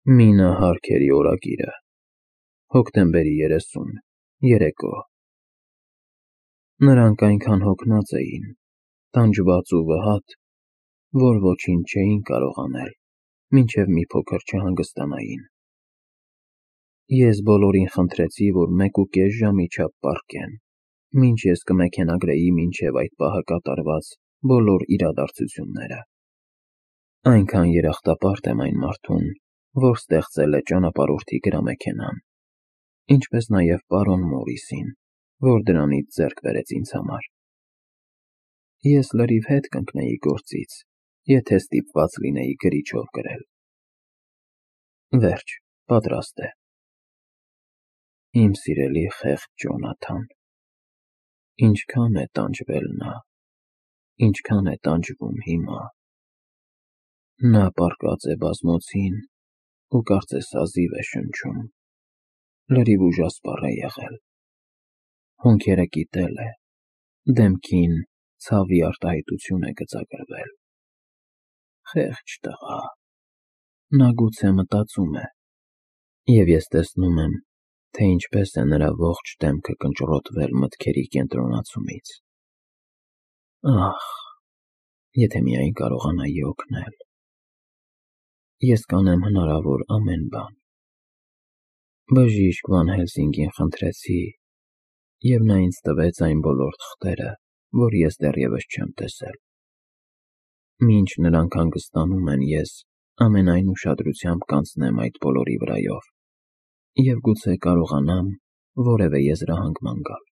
Մինը Հարքերի օրագիրը, հոկտեմբերի 30, երեկո։ Նրանք այնքան հոգնած էին, տանջված ու վհատ, որ ոչինչ չէին կարող անել, մինչև մի փոքր չհանգստանային։ Ես բոլորին խնդրեցի, որ 1.5 ժամի չափ պառկեն, մինչ ես կմեքենագրեի մինչև այդ պահը կատարված բոլոր իրադարձությունները։ Այնքան երախտապարտ եմ այն մարդուն, որ ստեղծել է ճանապարհորդի գրամեքենան, ինչպես նաև պարոն Մորիսին, որ դրանից ձեռք բերեց ինձ համար։ Ես լրիվ հետ կընկնեի գործից, եթե ստիպված լինեի գրիչով գրել։ Վերջ, պատրաստ է։ Իմ սիրելի խեղճ Ջոնաթան, ինչքան է տանջվել նա, ինչքան է տանջվում հիմա։ Նա պառկած է բազմոցին ու կարծես հազիվ է շնչում, լրիվ ուժասպառ է եղել, հոնքերը կիտել է, դեմքին ցավի արտահայտություն է գծագրվել։ Խեղճ տղա, նա գուցե մտածում է, և ես տեսնում եմ, թե ինչպես է նրա ողջ դեմքը կնճռոտվել մտքերի կենտրոնացումից։ Ահ, եթե միայն կարողանայի օգնել։ Ես կանեմ հնարավոր ամեն բան։ Բժիշկ Վան Հելսինգին խնդրեցի, և նա ինձ տվեց այն բոլոր թղթերը, որ ես դեռևս չեմ տեսել։ Մինչ նրանք հանգստանում են, ես ամենայն ուշադրությամբ կանցնեմ այդ բոլորի վրայով և գուցե կարողանամ որևէ եզրահանգման գալ։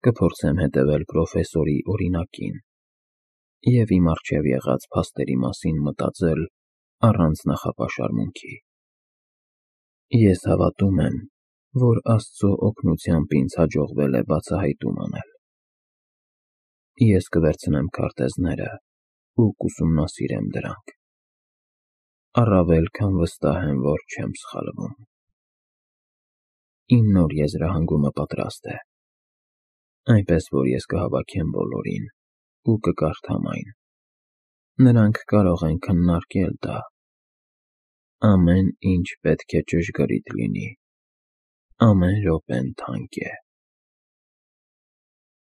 Կփորձեմ հետևել պրոֆեսորի օրինակին և իմ առջև եղած փաստերի մասին մտածել առանց նախապաշարմունքի։ Ես հավատում եմ, որ Աստծո օգնությամբ ինձ հաջողվել է բացահայտում անել։ Ես կվերցնեմ քարտեզները ու կուսումնասիրեմ դրանք։ Առավել քան վստահ եմ, որ չեմ սխալվում։ Իմ նոր եզրահանգումը պատրաստ է, այնպես որ ես կհավաքեմ բոլորին ու կկարդամ այն։ Նրանք կարող են քննարկել դա։ Ամեն ինչ պետք է ճշգրիտ լինի։ Ամեն րոպեն թանկ է։